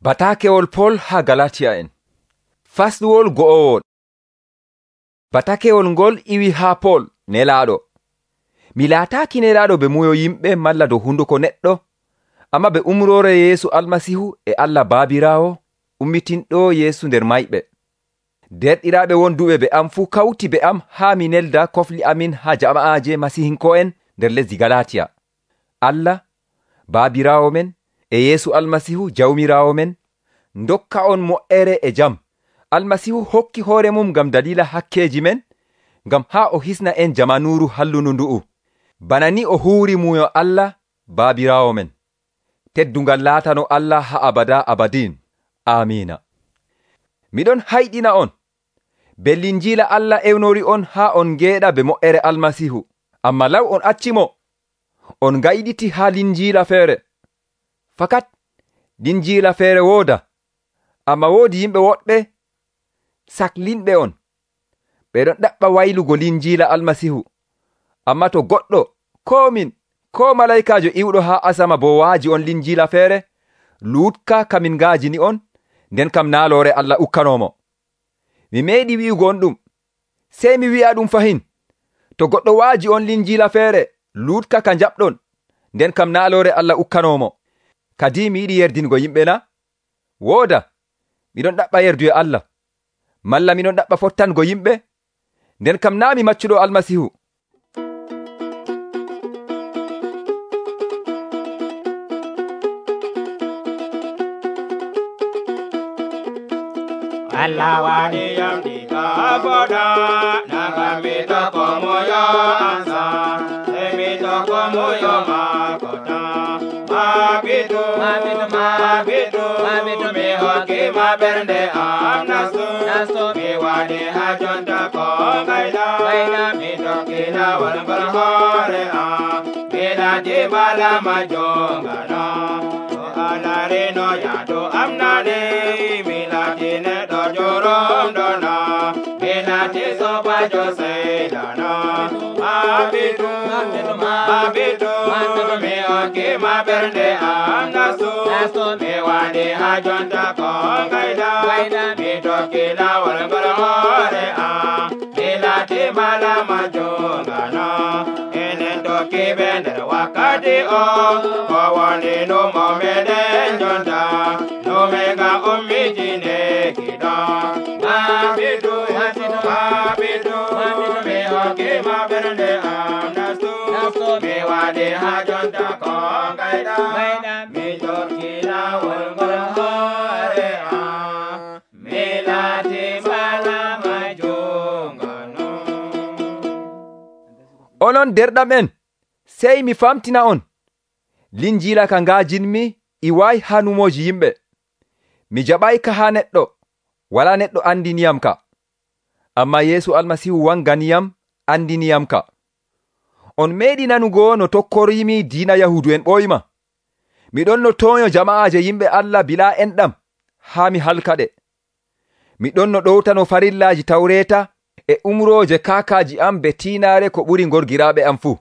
Batakewol Pol haa Galatia'en. Fasluwol go'owol. Batakewol ngol iwi haa Pol nelaaɗo. Mi laataaki nelaaɗo be muyo yimɓe malla dow hunduko neɗɗo, amma be umroore Yeesu Almasihu e Allah Baabiraawo ummitinɗo Yeesu nder mayɓe. Derɗiraaɓe wonduɓe be am fuu kawti be am haa mi nelda kofli amin haa jama'aaje Masihinko'en nder lesdi Galatiya. Allah, Baabiraawo men, e Yeesu Almasihu Jawmiraawo men, ndokka on mo'ere e jam. Almasihu hokki hoore mum ngam dalila hakkeji men, ngam haa o hisna en jamanuuru hallundu ndu'u. Bana ni o huuri muyo Allah, Baabiraawo men. Teddungal laatano Allah haa abada abadin. Amiina. Miɗon hayɗina on, be linjiila Allah ewnori on haa on ngeeɗa be mo'ere Almasihu, amma law on accimo, on gayɗiti haa linjiila feere. Fakat linjiila feere wooda, amma woodi yimɓe woɗɓe saklinɓe on. Ɓeɗon ɗaɓɓa waylugo linjiila Almasihu, amma to goɗɗo, koo min, koo malaykaajo iwɗo haa asama bo waaji on linjiila feere, luutka kamin ngaajini on, nden kam naaloore Allah ukkanomo. Mi meeɗi wi'ugo on ɗum, sey mi wi'a ɗum fahin. To goɗɗo waaji on linjiila feere, luutka ka jaɓɗon, nden kam naaloore Allah ukkanomo. Kadi mi yiɗi yerdingo yimɓe na? Wooda, miɗon ɗaɓɓa yerdu e Allah. Malla miɗon ɗaɓɓa fottango yimɓe? Nden kam naa mi maccuɗo Almasihu. Allah wani yam diga boda naga mi to komo yo ansa mi to komo yo makota mabidu mi hoki ma bernde am nasu mi wani hajonta ko gaida mi to kila wal bar hore am bila di bala majonga no alare no ya do amnade milatine do jorom dona milati soba jose dana mabidu mi oke ma bernde am nasu mi wani hajonta ko gaida mi tokila wal barhore am milati mala majonga no enen toki bender wakati o wawani no momede jonta no mega umijine kida mabidu me hoki ma bernde am nasu me wade hajonta ko gaida mi tokila wal barhore am milati mala majonga no. Onon derɗamen, sey mi famtina on, linjiila ka ngaajinmi iwaay haa numoji yimɓe. Mi jaɓayka haa neɗɗo, walaa neɗɗo andiniyam ka, amma Yeesu Almasihu wanganiyam andiniyam ka. On meeɗi nanugo no tokkorimi diina Yahudu en ɓoyma. Miɗon no tooño jama'aaje yimɓe Allah bilaa enɗam haa mi halkaɗe. Miɗon no ɗowtano farillaaji Tawreeta e umrooje kaakaaji am be tiinaare ko ɓuri ngorgiraaɓe am fuu.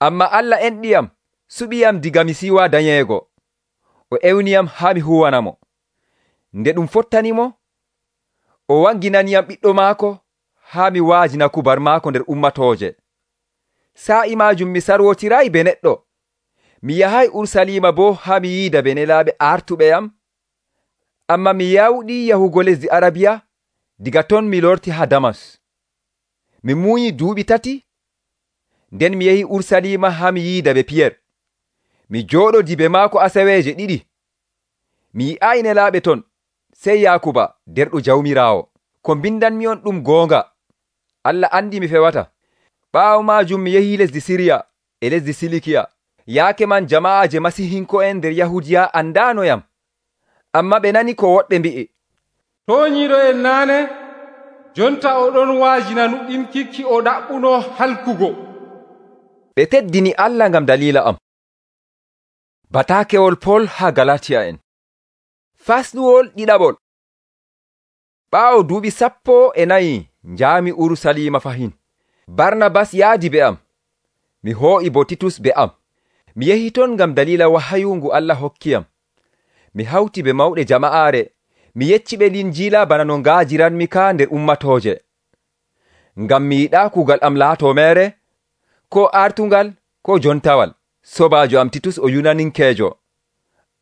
Amma Allah enɗiyam, suɓiyam diga mi siiwa dañeego. O ewniyam haa mi huwanamo. Nde ɗum fottanimo, o wanginaniyam ɓiɗɗo maako haa mi waajina kubar maako nder ummatooje. Sa'i maajum mi sarwotirayi be neɗɗo. Mi yahay Urusalima boo haa mi yiida be nelaaɓe artuɓe am. Amma mi yawɗi yahugo lesdi Arabiya, diga ton mi lorti haa Damas. Mi muuyi duuɓi 3, nden mi yehi Urusalima haa mi yiida be Piyer. Mi jooɗodi be maako asaweeje 2. Mi yi'ayi nelaaɓe ton, sey Yaakuba derɗo Jawmiraawo. Ko mbindanmi on ɗum goonga. Allah andi mi fewata. Ɓaawo maajum mi yehi lesdi Siriya e lesdi Silikiya. Yaake man jama'aaje Masihinko'en nder Yahudiya andanoyam, amma ɓe nani ko woɗɓe mbi'i. Tooñiiɗo en naane, jonta oɗon waajina nuɗɗin kikki o ɗaɓɓuno halkugo. Ɓe teddini Allah ngam dalila am. Batakewol Pol haa Galatia'en. Fasluwol ɗiɗaɓol. Ɓaawo duuɓi 14 njaami Urusalima fahin. Barnabas yaadi be am. Mi hoo'i bo Titus be am. Mi yehi ton ngam dalila wahayu ngu Allah hokkiyam. mi hawti be mawɗe jama'aare, mi yecci ɓe Linjiila bana no ngaajiranmi ka nder ummatooje. Ngam mi yiɗaa kuugal am laatoo meere, ko artungal, ko jontawal. Sobaajo am Titus o yunaninkeejo.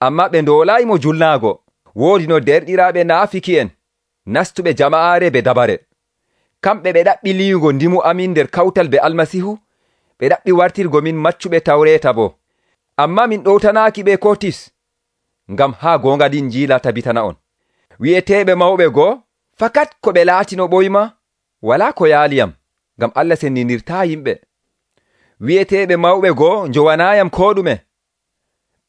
Ammaa ɓe ndoolaayimo julnaago. Woodi no derɗiraaɓe naafiki'en nastuɓe jama'aare be dabare. Kamɓe ɓe ɗaɓɓi liyugo ndimu amin nder kawtal be Almasiihu, ɓe ɗaɓɓi wartirgo min maccuɓe Tawreeta boo. Ammaa min ɗowtanaaki ɓe ko tis, ngam haa goonga Linjiila tabitana on. Wi'eteeɓe mawɓe goo, fakat ko ɓe laatino ɓoyma, walaa ko yaaliyam, ngam Allah sendinirtaa yimɓe. Wi'eteeɓe mawɓe goo njowanaayam koo ɗume.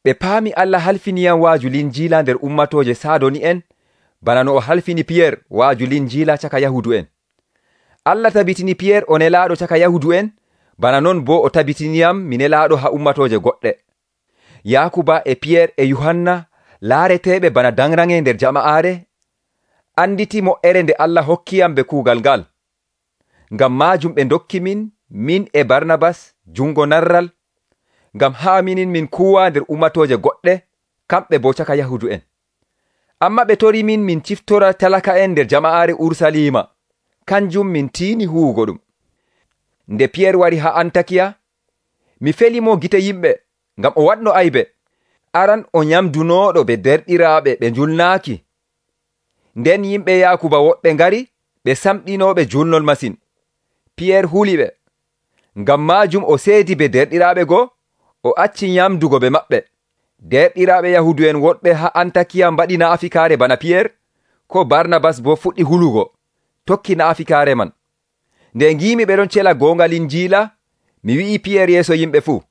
Ɓe paami Allah halfiniyam waaju Linjiila nder ummatooje Saadoni'en, bana no o halfini Piyer waaju Linjiila caka Yahudu'en. Allah tabitini Piyer o nelaaɗo caka Yahudu'en, bana non boo o tabitiniyam mi nelaaɗo ha ummatooje goɗɗe. Yaakuba e Piyer e Yuhanna laareteeɓe bana danrange nder jama'aare, anditi mo'ere nde Allah hokkiyam be kuugal ngal. Ngam maajum ɓe ndokki min e Barnabas jungo narral, ngam haa minin min kuwa nder ummatooje goɗɗe, kamɓe boo caka Yahudu'en. Amma ɓe tori min ciftora talaka'en nder jama'aare Ursaliima, kanjum min tiini huwugo ɗum. Nde Piyer wari ha Antakiya, mi felimo gite yimɓe, ngam o waɗno aybe. Aran o nyamdunooɗo be derɗiraaɓe ɓe njulnaaki. Nden yimɓe Yaakuba woɓɓe ngari ɓe samɗinooɓe julnol masin. Piyer huli ɓe. Ngam maajum o seedi be derɗiraaɓe goo, o acci nyamdugo be maɓɓe. Derɗiraaɓe Yahudu'en woɗɓe ha Antakiya mbaɗi naafikaare bana Piyer, ko Barnabas boo fuɗɗi hulugo, tokki naafikaare man. Nde ngimi ɓe ɗon cela goonga Linjiila, mi wi'i Piyer yeeso yimɓe fuu,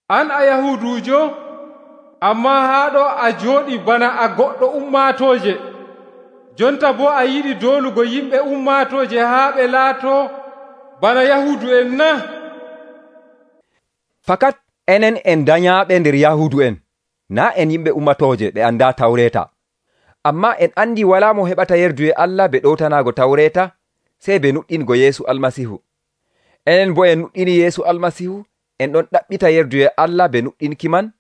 an a Yahuduujo, ammaa haa ɗo a jooɗi bana a goɗɗo ummaatooje. Jonta boo a yiɗi doolugo yimɓe ummaatooje haa ɓe laatoo bana Yahudu'en na? Fakat enen en danyaaɓe nder Yahudu'en, naa en yimɓe ummatooje ɓe andaa Tawreeta. Ammaa en andi walaa mo heɓata yerdu e Allah be ɗowtanaago Tawreeta, sey be nuɗɗingo Yeesu Almasiihu. Enen boo en nuɗɗini Yeesu Almasiihu, en ɗon ɗaɓɓita yerdu e Allah be nuɗɗinki man,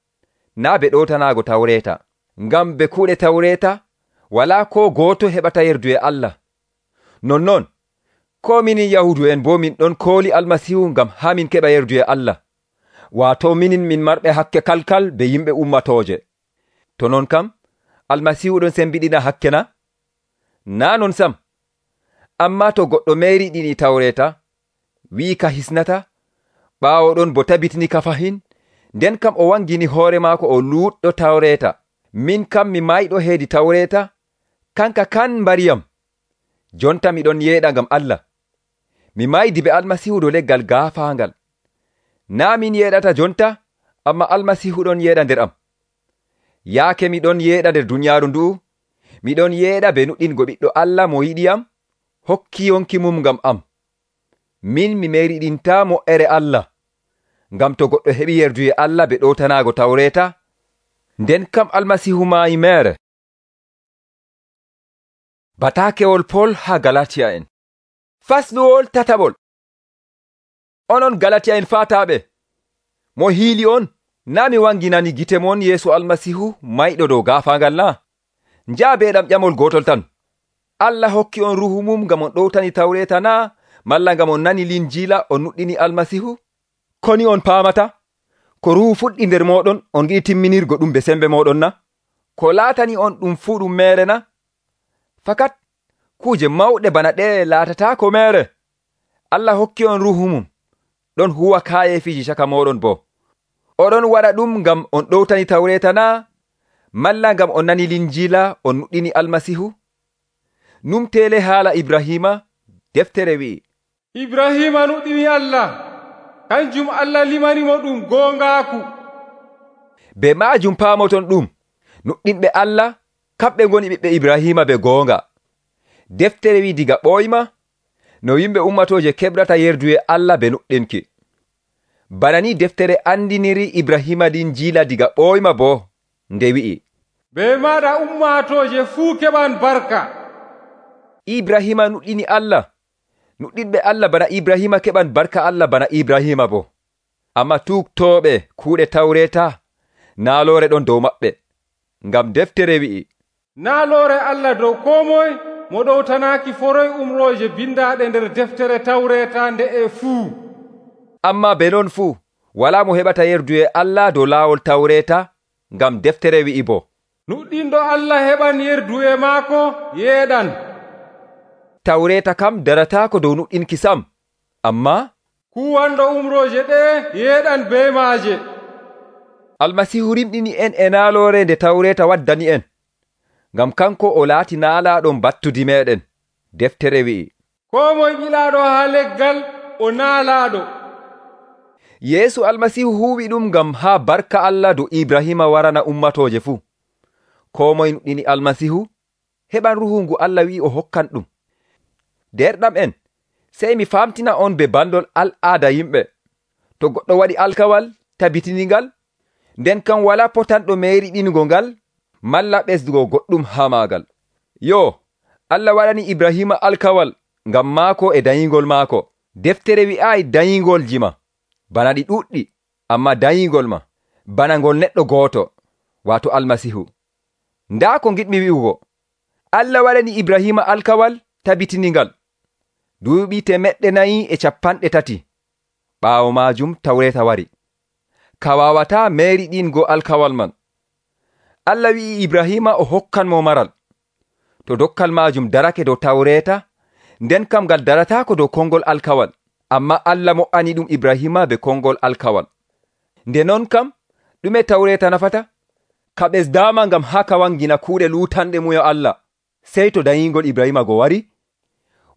naa be ɗowtanaago Tawreeta. Ngam be kuuɗe Tawreeta, walaa ko gooto heɓata yerdu e Allah. Nonnon, ko minin Yahudu'en boo min ɗon kooli Almasiihu ngam haa min keɓa yerdu e Allah. Waato minin min marɓe hakke kalkal be yimɓe ummatooje. To non kam, Almasiihu ɗon sembiɗina hakke na? Naa non sam. Ammaa to goɗɗo meeriɗini Tawreeta, wi'i ka hisnata, ɓaawo ɗon bo tabitini ka fahin, nden kam o wangini hoore maako o luuɗɗo Tawreeta. Min kam mi mayɗo heedi Tawreeta, kanka kan mbariyam. Jonta miɗon yeeɗa ngam Allah. Mi maydi be Almasiihu dow leggal gaafaangal. Naa min yeeɗata jonta, amma Almasiihu ɗon yeeɗa nder am. Yaake miɗon yeeɗa nder dunyaaru ndu'u, miɗon yeeɗa be nuɗɗingo ɓiɗɗo Allah mo yiɗiyam, hokki yonki mum ngam am. Min mi meriɗinta mo'ere Allah, ngam to goɗɗo heɓi yerdu e Allah be ɗowtanaago Tawreeta, nden kam Almasiihu maayi meere. Bataakewol Pol ha Galatiya en. Fasluwol tataɓol. Onon Galatiya en faataaɓe, mo hiili on, naa mi wanginani gite mon Yeesu Almasiihu mayɗo dow gaafaangal na? Njaabeeɗam ƴamol gootol tan. Allah hokki on ruhu mum ngam on ɗowtani Tawreeta na, malla ngam on nani Linjiila on nuɗɗini Almasiihu? Koni on paamata? Ko ruhu fuɗɗi nder mooɗon, on giɗi timminirgo ɗum be sembe mooɗon na? Ko laatani on ɗum fuu ɗum meere na? Fakat kuuje mawɗe bana ɗe laatataako meere. Allah hokki on ruhu mum, ɗon huwa kaayefiiji caka mooɗon boo. Oɗon waɗa ɗum ngam on ɗowtani Tawreeta na, malla ngam on nani Linjiila on nuɗɗini Almasiihu? Numteele haala Ibrahima, deftere wi'i, Ibrahima nuɗɗini Allah, kanjum Allah limanimo ɗum goongaaku. Be maajum paamoton ɗum, nuɗɗinɓe Allah, kamɓe ngoni ɓiɓɓe Ibrahima be goonga. Deftere wi'i diga ɓooyma, no yimɓe ummatooje keɓrata yerdu e Allah be nuɗɗinki. Bana ni deftere andiniri Ibrahima Linjiila diga ɓooyma boo, nde wi'i, be maɗa ummatooje fuu keɓan barka. Ibrahima nuɗɗini Allah. Nuɗɗinɓe Allah bana Ibrahima keɓan barka Allah bana Ibrahima boo. Amma tuuktooɓe kuuɗe Tawreeta, naaloore ɗon dow maɓɓe. ngam deftere wi'i, naaloore Allah dow koo moye mo ɗowtanaaki foroy umrooje bindaaɗe nder deftere Tawreeta nde'e fuu. Ammaa be non fuu walaa mo heɓata yerdu e Allah dow laawol Tawreeta, ngam deftere wi'i boo, nuɗɗinɗo Allah heɓan yerdu e maako yeeɗan. Tawreeta kam darataako dow nuɗɗinki sam, ammaa kuwanɗo umrooje ɗee yeeɗan bee maaje. Almasiihu rimɗini en e naaloore nde Tawreeta waddani en, ngam kanko o laati naalaaɗon battudi meeɗen. Deftere wi'i, koo moye ɓilaaɗo haa leggal o naalaaɗo. Yeesu Almasiihu huuwi ɗum ngam haa barka Allah dow Ibrahima warana ummatooje fuu. Koo moye nuɗɗini Almasiihu heɓan ruuhu ngu Allah wi'i o hokkan ɗum. Derɗam en, sey mi famtina on be bandol al'aada yimɓe. To goɗɗo waɗi alkawal tabitiningal, nden kam walaa potanɗo meeriɗingo ngal malla ɓesdugo goɗɗum haa maagal. Yo, Allah waɗani Ibrahima alkawal ngam maako e dayingol maako. Deftere wi'aayi dayingolji ma bana ɗi ɗuɗɗi, ammaa dayingol ma bana ngol neɗɗo gooto, waato Almasiihu. Ndaa ko ngiɗmi wi'ugo, Allah waɗani Ibrahima alkawal tabitiningal duuɓi 450 ɓaawo maajum Tawreeta wari. Ka waawataa meeriɗingo alkawal man. Allah wi'i Ibrahima o hokkan mo maral. To dokkal maajum darake dow Tawreeta, nden kam ngal darataako dow kongol alkawal, amma Allah mo'ani ɗum Ibrahima be kongol alkawal. Nde non kam ɗume Tawreeta nafata? Ka ɓesdaama ngam haa ka wangina kuuɗe luutanɗe muyo Allah, sey to dayingol Ibrahima go wari,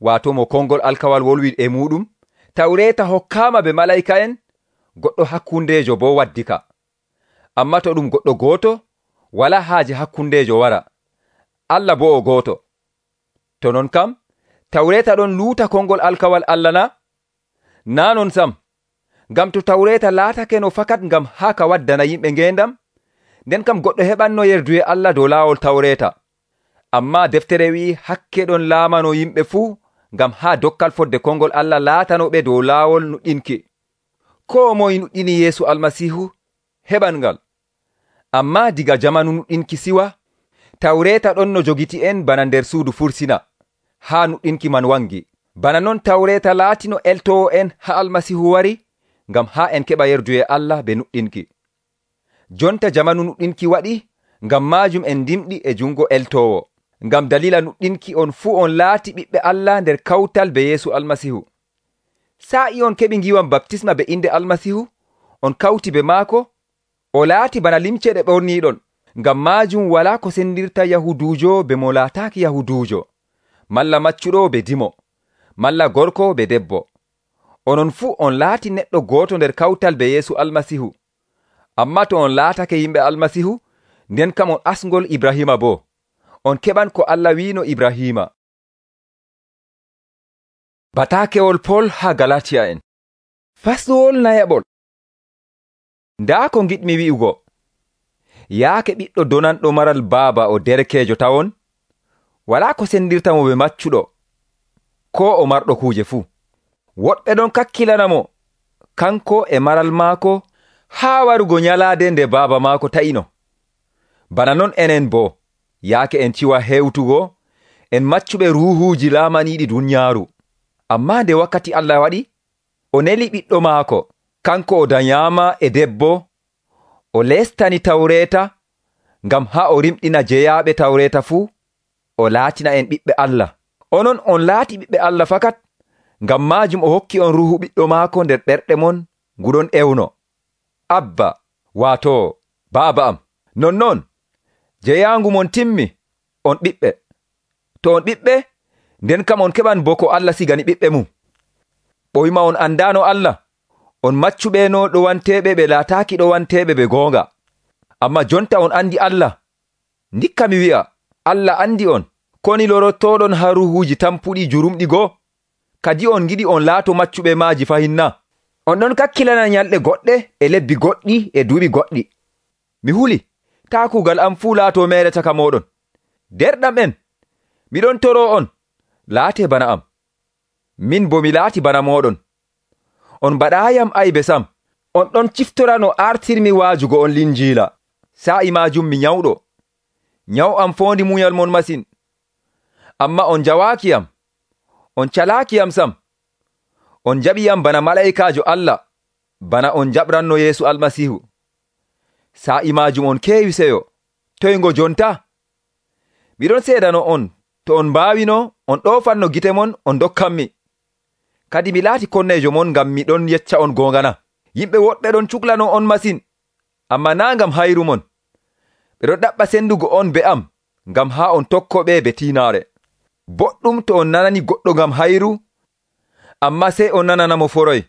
waato mo kongol alkawal wolwi e muɗum. Tawreeta hokkaama be malaa'ika'en, goɗɗo hakkundeejo boo waddi ka. Amma to ɗum goɗɗo gooto, walaa haaje hakkundeejo wara. Allah boo o gooto. To non kam, Tawreeta ɗon luuta kongol alkawal Allah na? Naa non sam. Ngam to Tawreeta laatake no fakat ngam haa ka waddana yimɓe ngeendam, nden kam goɗɗo heɓanno yerdu e Allah dow laawol Tawreeta. Ammaa deftere wi'i hakke ɗon laamano yimɓe fuu ngam haa dokkal fodde kongol Allah laatanoɓe dow laawol nuɗɗinki. Koo moye nuɗɗini Yeesu Almasiihu heɓan ngal. Ammaa diga jamanu nuɗɗinki siwa, Tawreeta ɗon no jogiti en bana nder suudu fursina, haa nuɗɗinki man wangi. Bana non Tawreeta laatino eltowo en haa Almasiihu wari, ngam haa en keɓa yerdu e Allah be nuɗɗinki. Jonta jamanu nuɗɗinki waɗi, ngam maajum en ndimɗi e jungo eltowo. Ngam dalila nuɗɗinki on fuu on laati ɓiɓɓe Allah nder kawtal be Yeesu Almasiihu. Sa'i on keɓi ngiwam baptisma be inde Almasiihu, on kawti be maako, o laati bana limce ɗe ɓorniiɗon. Ngam maajum walaa ko sendirta Yahuduujo be mo laataaki Yahuduujo, malla maccuɗo be dimo, malla gorko be debbo. Onon fuu on laati neɗɗo gooto nder kawtal be Yeesu Almasiihu. Ammaa to on laatake yimɓe Almasiihu, nden kam on asngol Ibrahima boo. On keɓan ko Allah wiino Ibrahima. Bataakewol Pol haa Galatiya en. Fasɗuwol nayaɓol. Ndaa ko ngiɗmi wi'ugo. Yaake ɓiɗɗo donanɗo maral baaba o derkeejo tawon, walaa ko sendirta mo be maccuɗo, koo o marɗo kuuje fuu. Woɗɓe ɗon kakkilana mo, kanko e maral maako, haa warugo nyalaade nde baaba maako ta'ino. Bana non enen boo, yaake en ciwa hewtugo, en maccuɓe ruuhuuji laamaniiɗi dunyaaru. Ammaa nde wakkati Allah waɗi, o neli ɓiɗɗo maako, kanko o danyaama e debbo, o lestani Tawreeta, ngam haa o rimɗina jeyaaɓe Tawreeta fuu, o laatina en ɓiɓɓe Allah. Onon on laati ɓiɓɓe Allah fakat, ngam maajum o hokki on ruuhu ɓiɗɗo maako nder ɓerɗe mon nguɗon ewno. Abba, waato baaba am. Nonnon, jeyaangu mon timmi, on ɓiɓɓe. To on ɓiɓɓe, nden kam on keɓan bo ko Allah sigani ɓiɓɓe mum. Ɓoyma on andaano Allah, on maccuɓeeno ɗowanteeɓe ɓe laataaki ɗowanteeɓe ɓe goonga. Amma jonta on andi Allah. Ndikka mi wi'a, Allah andi on, koni lorottoɗon haa ruuhuuji tampuɗi jurumɗi goo. Kadi on giɗi on laato maccuɓe maaji fahinna. On ɗon kakkilana nyalɗe goɗɗe e lebbi goɗɗi e duuɓi goɗɗi. Mi huli, taa kuugal am fuu laato meere caka mooɗon. Derɗam en, miɗon toro on, laate bana am. Min bo mi laati bana mooɗon. On mbaɗaayam aybe sam. On ɗon ciftora no artirmi waajugo on linjiila. Sa'i maajum mi nyawɗo. Nyaw am foondi munyal mon masin. Ammaa on njawaaki am, on calaaki am sam. On jaɓi am bana malaa'ikaajo Allah, bana on jaɓranno Yeesu Almasiihu. Sa'i maajum on keewi seyo. Toy ngo jonta? Miɗon seedano on, to on mbaawino, on ɗoofanno gite mon, on dokkanmi. Kadi mi laati konneejo mon ngam miɗon yecca on goongana. Yimɓe woɗɓe ɗon cuklano on masin, ammaa naa ngam hayru mon. Ɓe ɗon ɗaɓɓa sendugo on be am, ngam haa on tokkoɓe be tiinaare. Boɗɗum to on nanani goɗɗo ngam hayru, ammaa sey on nananamo foroy.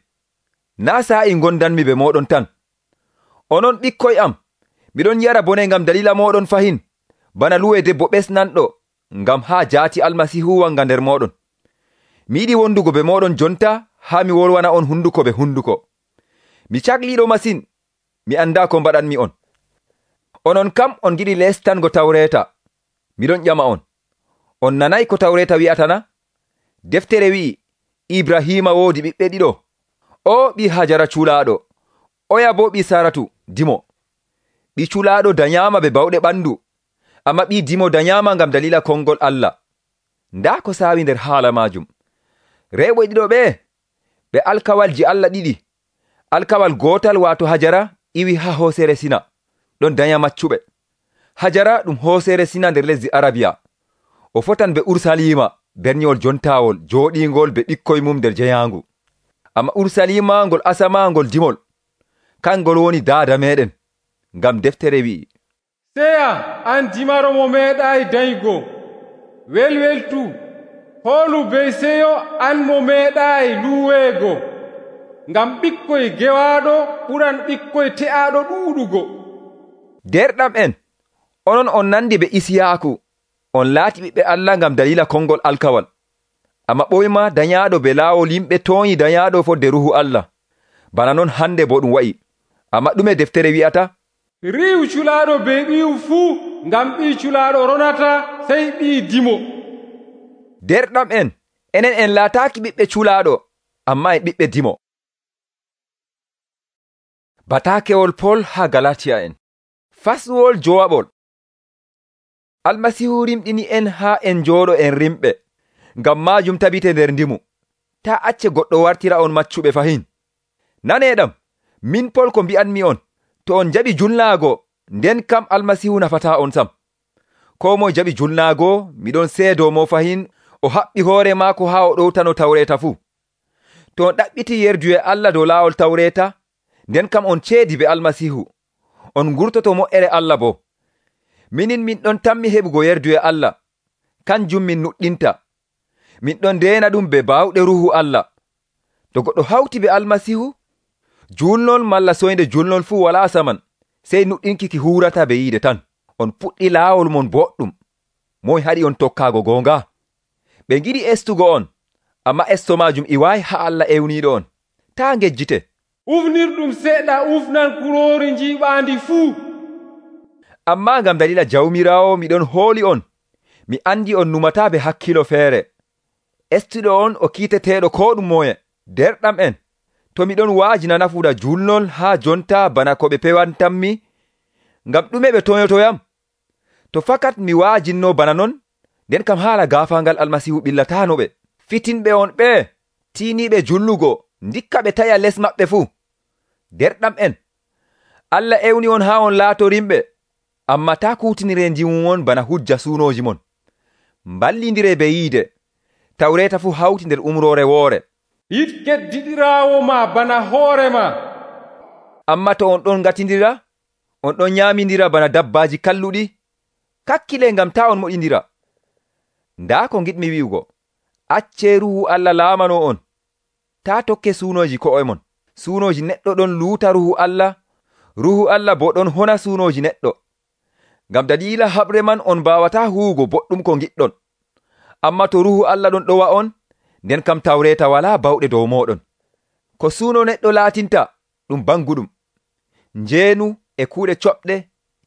Naa sa'i gondanmi be mooɗon tan. Onon ɓikkoy am, miɗon yara bone ngam dalila mooɗon fahin, bana luwe debbo ɓesnanɗo, ngam haa jaati Almasiihu wanga nder mooɗon. Mi yiɗi wondugo be mooɗon jonta haa mi wolwana on hunduko be hunduko. Mi cakliiɗo masin, mi andaa ko mbaɗanmi on. Onon kam on giɗi lestango Tawreeta. Miɗon ƴama on, on nanay ko Tawreeta wi'atana? Deftere wi'i, Ibrahima woodi ɓiɓɓe ɗiɗo. O ɓi Hajara culaaɗo, oya bo ɓi Saratu dimo. Ɓi culaaɗo dañaama be bawɗe ɓandu, amma ɓi dimo dañaama ngam dalila kongol Allah. Ndaa ko saawi nder haala maajum. Rewɓe ɗiɗo ɓe alkawalji Allah ɗiɗi. Alkawal gootal waato Hajara iwi ha hoosere Sina, ɗon daña maccuɓe. Hajara ɗum hoosere Sina nder lesdi Arabiya. O fotan be Ursalima, berniwol jontaawol jooɗiingol be ɓikkoy mum nder jeyaangu. Amma Ursalima ngol asama ngol dimol, kangol woni daada meɗen, ngam deftere wi'i, seya an dimaro mo meeɗayi dañgo, welweltu hoolu be seyo an mo meeɗayi luweego, ngam ɓikkoy gewaaɗo ɓuran ɓikkoy te'aaɗo ɗuuɗugo. Derɗam en, onon on nandi be Isiyaaku, on laati ɓiɓɓe Allah ngam dalila kongol alkawal. Amma ɓoyma dañaaɗo be laawol yimɓe tooñi dañaaɗo fodde Ruhu Allah. Bana non hande bo ɗum wa'i. Amma ɗume deftere wi'ata? Riiw culaaɗo be ɓiyu fuu, ngam ɓii culaaɗo ronata sey ɓii dimo. Derɗam en, enen en laataaki ɓiɓɓe culaaɗo, amma en ɓiɓɓe dimo. Bataakewol Pol haa Galatiya en. Faswol jowaɓol. Almasiihu rimɗini en haa en njooɗo en rimɓe, ngam maajum tabite nder ndimu. Ta acce goɗɗo wartira on maccuɓe fahin. Naneeɗam, min Pol ko mbi'anmi on, to on jaɓi julnaago, nden kam Almasiihu nafataa on sam. Koo moye jaɓi julnaago, miɗon seedo mo fahin, o haɓɓi hoore maako haa o ɗowtano Tawreeta fuu. To on ɗaɓɓiti yerduye Allah dow laawol Tawreeta, nden kam on ceedi be Almasiihu. On ngurtoto moƴƴere Allah bo. Minin min ɗon tammi heɓugo yerduye Allah, kanjum min nuɗɗinta. Min ɗon ndeena ɗum be baawɗe Ruhu Allah. To goɗɗo hawti be Almasiihu, julnol malla soynde julnol fuu walaa saman, sey nuɗɗinki ki huurata be yiide tan. On puɗɗi laawol mon boɗɗum. Moy haɗi on tokkaago goonga? Ɓe ngiɗi estugo on, amma esto maajum iwaayi haa Allah ewniiɗo on. Taa ngejjite. Ufnirɗum seɗɗa ufnan kuroori njiiɓaandi fuu. Ammaa ngam dalila jawmiraawo miɗon hooli on, mi andi on numataa be hakkilo feere. Estuɗo on o kiiteteeɗo koo ɗum moye. Derɗam en, to miɗon waajina nafuda julnol haa jonta bana ko ɓe pewantanmi, ngam ɗume ɓe toyotoyam? To fakat mi waajinno bana non, nden kam haala gaafaangal Almasiihu ɓillatanoɓe. Fitinɓe on ɓe, tiiniiɓe julnugo, ndikka ɓe taya les maɓɓe fuu. Derɗam en, Allah ewni on haa on laatorimɓe, amma taa kuutinire njimu mon bana hujja suunooji mon. Mballindire be yiide, Tawreeta fuu hawti nder umroore woore. Yiɗ keddiɗiraawo ma bana hoorema. Amma to on ɗon ngatindira, on ɗon nyaamindira bana dabbaaji kalluɗi, kakkile ngam taa on moƴindira. Ndaa ko ngiɗmi wi'ugo, accee Ruhu Allah laamano on. Taa tokke suunooji ko'e mon. Suunooji neɗɗo ɗon luuta Ruhu Allah bo ɗon hona suunooji neɗɗo. Ngam dalila haɓre man on mbawataa huwugo boɗɗum ko giɗɗon. Amma to Ruhu Allah ɗon ɗowa on, nden kam Tawreeta walaa bawɗe dow mooɗon. Ko suuno neɗɗo laatinta ɗum banguɗum, njeenu e kuuɗe coɓɗe,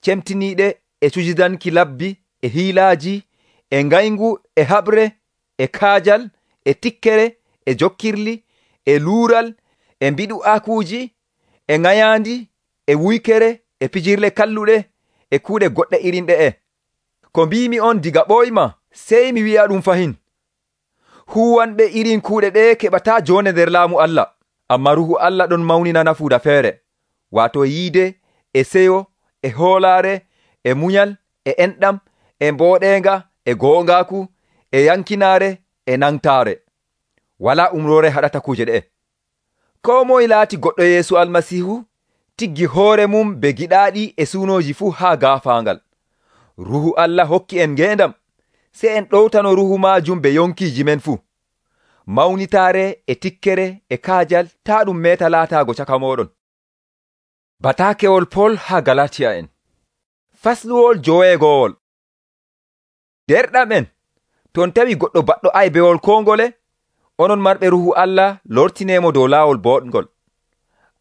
cemtiniiɗe e cujidanki labbi e hiilaaji, e ngayngu e haɓre, e kaajal, e tikkere, e jokkirli, e luural, e mbiɗu'aakuuji, e ŋayaandi, e wuykere, e pijirle kalluɗe, e kuuɗe goɗɗe irin ɗe'e. Ko mbimi on diga ɓoyma, sey mi wi'a ɗum fahin. Huwanɓe irin kuuɗe ɗe keɓataa jonde nder laamu Allah, amma Ruuhu Allah ɗon mawnina nafuuda feere, waato yiide, e seyo, e hoolaare, e munyal, e enɗam, e mbooɗeenga, e goongaaku, e yankinaare, e nangtaare. Walaa umroore haɗata kuuje ɗe'e. Koo moye laati goɗɗo Yeesu Almasiihu tiggi hoore mum be giɗaaɗi e suunooji fuu haa gaafaangal. Ruuhu Allah hokki en ngeendam, sey en ɗowtano Ruuhu maajum be yonkiiji men fuu. Mawnitaare e tikkere e kaajal taa ɗum meeta laataago caka mooɗon. Bataakewol Pol haa Galatiya en. Fasluwol 5. Derɗam en, ton tawi goɗɗo baɗɗo aybewol koo ngole, onon marɓe Ruuhu Allah lortineemo dow laawol boɗngol.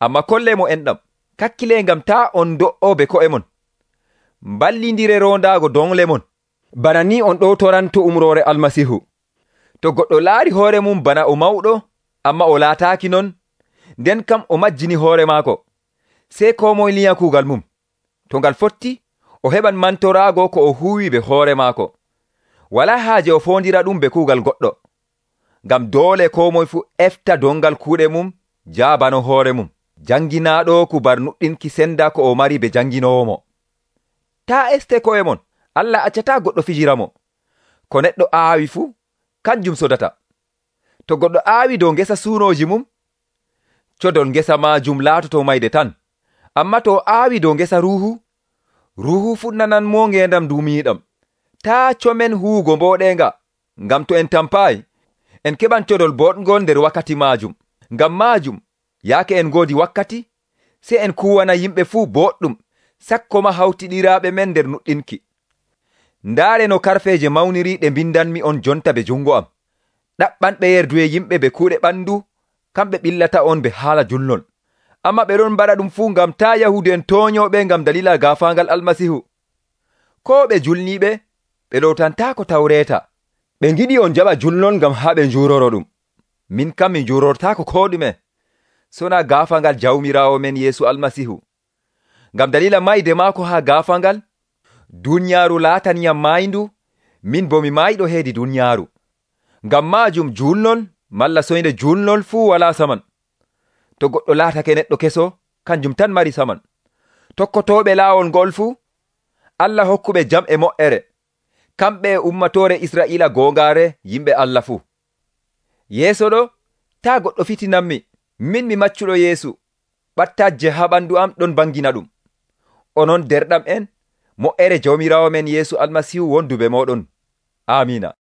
Amma kolleemo enɗam, kakkile ngam taa on do'o be ko'e mon. Mballindire rondaago dongle mon, bana ni on ɗowtoranto umroore Almasiihu. To goɗɗo laari hoore mum bana o mawɗo, amma o laataaki non, nden kam o majjini hoore maako, sey koo moye linya kuugal mum. To ngal fotti, o heɓan mantoraago ko o huuwi be hoore maako. Walaa haaje o foondira ɗum be kuugal goɗɗo, ngam doole koo moye fuu efta dongal kuuɗe mum jaabano hoore mum. Janginaaɗo kubar nuɗɗinki senda ko o mari be janginoowo. Taa este ko'e mon, Allah accataa goɗɗo fijira mo. Ko neɗɗo aawi fuu, kanjum sodata. To goɗɗo aawi dow ngesa suunooji mum, codol ngesa maajum laatoto mayde tan. Amma to o aawi dow ngesa Ruuhu, Ruuhu fuɗnanan mo ngeendam duumiiɗam. Taa comen huugo mbooɗeenga, ngam to en tampaayi, en keɓan codol boɗngol nder wakkati maajum. Ngam maajum, yaake en ngoodi wakkati, sey en kuwana yimɓe fuu boɗɗum, sakko ma hawtiɗiraaɓe men nder nuɗɗinki. Ndaare no karfeeje mawniri ɗe mbindanmi on jonta be jungo am. Ɗaɓɓanɓe yerduye yimɓe be kuuɗe ɓandu, kamɓe ɓillata on be haala julnol. Amma ɓe ɗon mbaɗa ɗum fuu ngam taa Yahudu en tooñooɓe ngam dalila gaafaangal Almasiihu. Koo ɓe julniiɓe, ɓe ɗowtantaako Tawreeta. Ɓe ngiɗi on jaɓa julnol ngam haa ɓe njuroro ɗum. Min kam mi njurortaako koo ɗume, sona gaafaangal Jawmiraawo men Yeesu Almasiihu. Ngam dalila mayde maako haa gaafaangal, dunyaaru laataniyam maayindu, min bo mi maayiɗo heedi dunyaaru. Ngam maajum julnol malla soyde julnol fuu walaa saman. To goɗɗo laatake neɗɗo keso, kanjum tan mari saman. Tokkotooɓe laawol ngol fuu, Allah hokkuɓe jam e moƴƴere, kamɓe e ummatoore Israa'iila goongaare yimɓe Allah fuu. Yeeso ɗo, taa goɗɗo fitinanmi, min mi maccuɗo Yeesu, ɓattaaje haa ɓandu am ɗon bangina ɗum. Onon derɗam en, moƴƴere Jawmiraawo men Yeesu Almasiihu wondu be mooɗon. Amiina.